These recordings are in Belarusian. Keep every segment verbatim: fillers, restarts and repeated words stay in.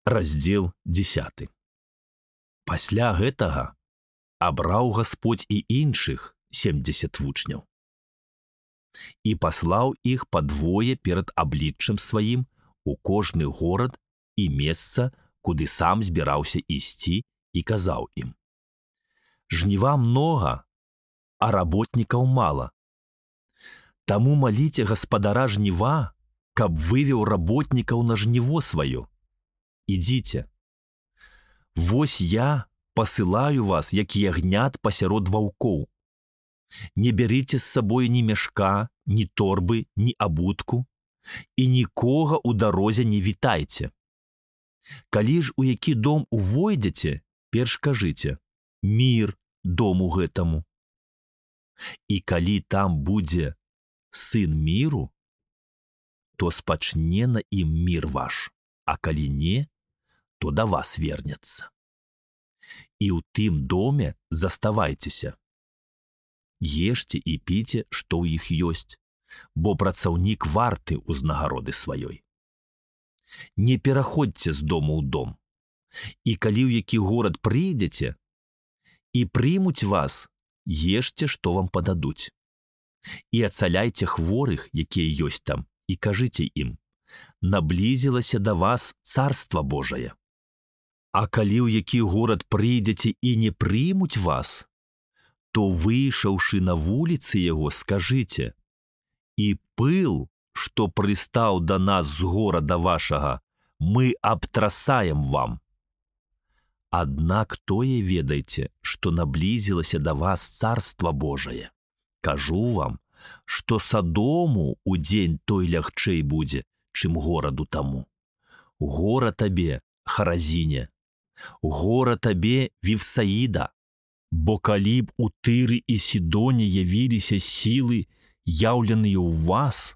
Раздзел дзесяты. Пасля гэтага абраў Гасподзь і іншых семдзесят вучняў і паслаў іх падвое перад абліччам сваім у кожны горад і месца, куды сам збіраўся ісці, і казаў ім: «Жніва многа, а работнікаў мала. Таму маліце гаспадара жніва, каб вывеў работнікаў на жніво сваё. Ідзіце. Вось я пасылаю вас, як ягнят пасярод ваўкоў. Не бярыце з сабой ні мяшка, ні торбы, ні абутку, і нікога ў дарозе не вітайце. Калі ж у які дом увойдзеце, перш кажыце: мір дому гэтаму. І калі там будзе сын міру, то спачне на ім мір ваш, а калі не, то да вас вернецца. І ў тым доме заставайцеся. Ешце і піце, што ў іх ёсць, бо працаўнік варты ўзнагароды сваёй. Не пераходзьце з дому ў дом, і калі ў які горад прыйдзеце і прымуць вас, ешце, што вам пададуць. І ацаляйце хворых, якія ёсць там, і кажыце ім: наблізілася да вас царства Божае. А калі ў які горад прыйдзеце і не прымуць вас, то, выйшаўшы на вуліцы яго, скажыце: і пыл, што прыстаў да нас з горада вашага, мы абтрасаем вам. Аднак тое ведайце, што наблізілася да вас царства Божае. Кажу вам, што Садому ў дзень той лягчэй будзе, чым гораду таму. Гора табе, Харазіне! Гора табе, Вифсаіда! Бо калі б у Тыры і Сідоне явіліся сілы, яўленыя ў вас,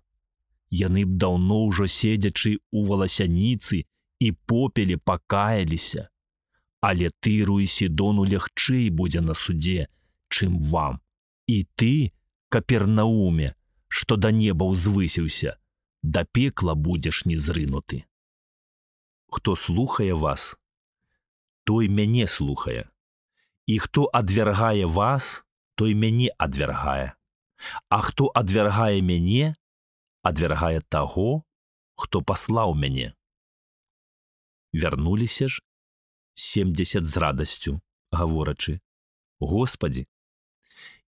яны б даўно ўжо седзячы ў валасяніцы і попеле пакаяліся. Але Тыру і Сідону лягчэй будзе на судзе, чым вам. І ты, Капернауме, што да неба ўзвысіўся, да пекла будзеш не зрынуты. Хто слухае вас, той мяне слухае. І хто адвяргае вас, той мяне адвяргае. А хто адвяргае мяне, адвяргае таго, хто паслаў мяне. Вярнуліся ж семдзесят з радасцю, гаворачы: Господі,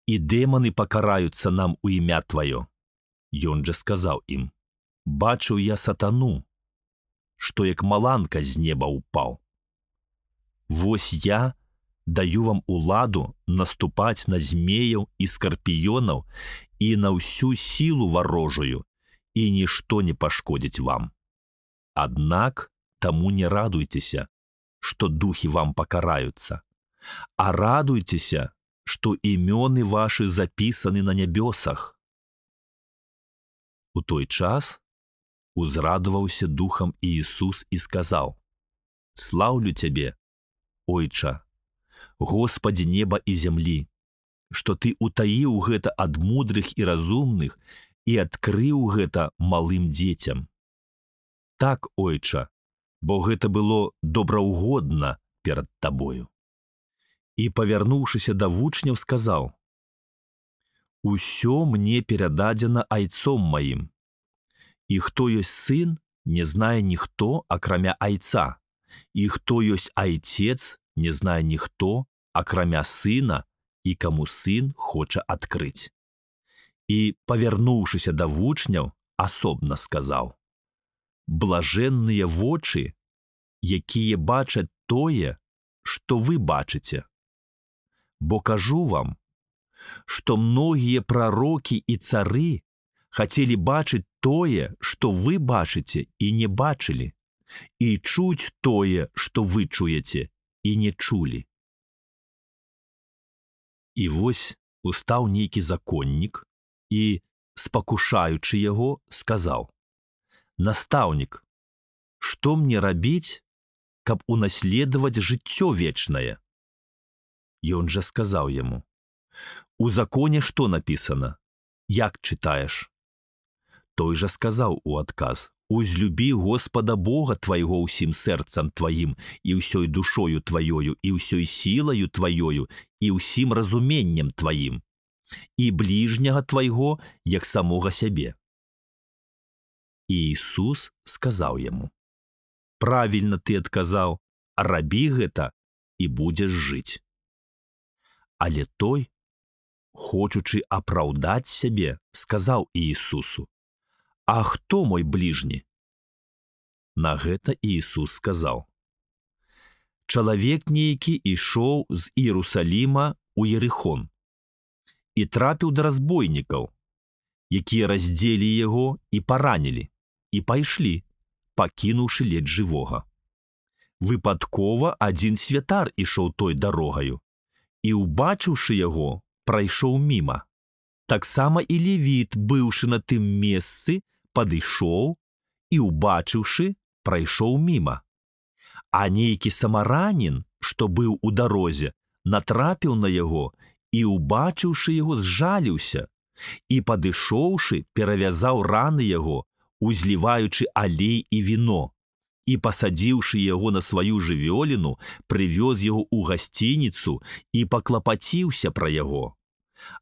і дэманы пакараюцца нам у імя Тваё. Ён жа сказаў ім: бачыў я сатану, што як маланка з неба ўпаў. Вось я даю вам уладу наступаць на змеяў і скарпіёнаў і на ўсю сілу варожую, і нішто не пашкодзіць вам. Аднак таму не радуйцеся, што духі вам пакараюцца, а радуйцеся, што імёны вашы запісаны на нябёсах. У той час узрадаваўся духам Іісус і сказаў: слаўлю Цябе, Ойча, Господі неба і зямлі, што Ты утаіў гэта ад мудрых і разумных і адкрыў гэта малым дзецям. Так, Ойча, бо гэта было добраўгодна перад Табою. І, павярнуўшыся да вучняў, сказаў: усё мне перададзена айцом маім. І хто ёсць сын, не знае ніхто, акрамя айца, і хто ёсць айцец, не знае ніхто, акрамя сына, і каму сын хоча адкрыць. І, павярнуўшыся да вучняў, асобна сказаў: блажэнныя вочы, якія бачаць тое, што вы бачыце. Бо кажу вам, што многія прарокі і цары хацелі бачыць тое, што вы бачыце і не бачылі, і чуць тое, што вы чуеце і не чулі. І вось устаў нейкі законнік і, спакушаючы яго, сказаў: настаўнік, што мне рабіць, каб унаследаваць жыццё вечнае? Ён жа сказаў яму: у законе што напісана? Як чытаеш? Той жа сказаў у адказ: Узлюбі Господа Бога твайго ўсім сэрцам тваім і ўсёй душою тваёю і ўсёй сілаю тваёю і ўсім разуменнем тваім, і бліжняга твайго, як самога сябе. І Ісус сказаў яму: правільна ты адказаў, рабі гэта і будзеш жыць. Але той, хочучы апраўдаць сябе, сказаў Іісусу: а хто мой бліжні? На гэта Іісус сказаў: чалавек нейкі ішоў з Іерусаліма ў Ерыхон і трапіў да разбойнікаў, якія раздзелі яго і паранілі, і пайшлі, пакінуўшы ледзь жывога. Выпадкова адзін святар ішоў той дарогаю і, убачыўшы яго, прайшоў міма. Таксама і левіт, быўшы на тым месцы, падышоў і, убачыўшы, прайшоў міма. А нейкі самаранін, што быў у дарозе, натрапіў на яго і, убачыўшы яго, зжаліўся і, падышоўшы, перавязаў раны яго, узліваючы алей і віно, і, пасадзіўшы яго на сваю жывёліну, прывёз яго ў гасцініцу і паклапаціўся пра яго.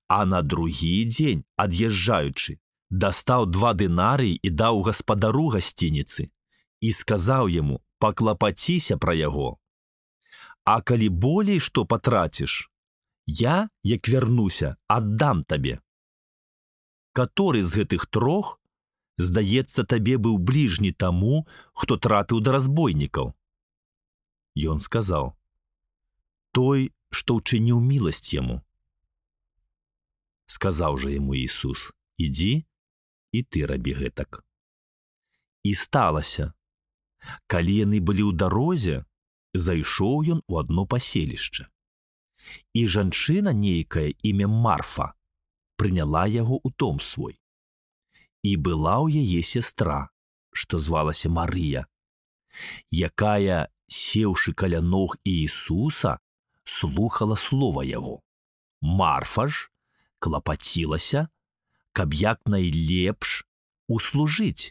А на другі дзень, ад'язджаючы, дастаў два дынарыі і даў гаспадару гасцініцы і сказаў яму: паклапаціся пра яго. А калі болей што патраціш, я, як вярнуся, аддам табе. Каторы з гэтых трох, здаецца, табе быў бліжні таму, хто трапіў да разбойнікаў? Ён сказаў: той, што ўчыніў міласць яму. Сказаў жа яму Ісус: ідзі, і ты рабі гэтак. І сталася, калі яны былі ў дарозе, зайшоў ён у адно паселішча. І жанчына нейкая імя Марфа прыняла яго ў дом свой. І была ў яе сястра, што звалася Марыя, якая, сеўшы каля ног Іісуса, слухала слова яго. Марфа ж клапацілася, каб як найлепш услужыць,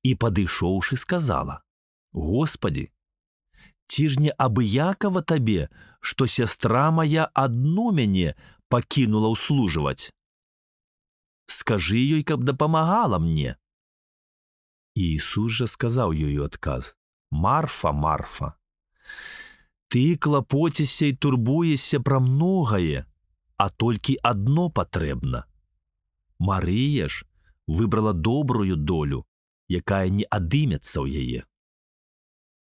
і, падышоўшы, сказала: Господі, ці ж не абыякава табе, што сястра мая адну мяне пакінула ўслужваць? Скажы ёй, каб дапамагала мне. Іісус жа сказаў ёй у адказ: Марфа, Марфа, ты клапоцішся і турбуешся пра многае, а толькі адно патрэбна. Марыя ж выбрала добрую долю, якая не адымецца ў яе.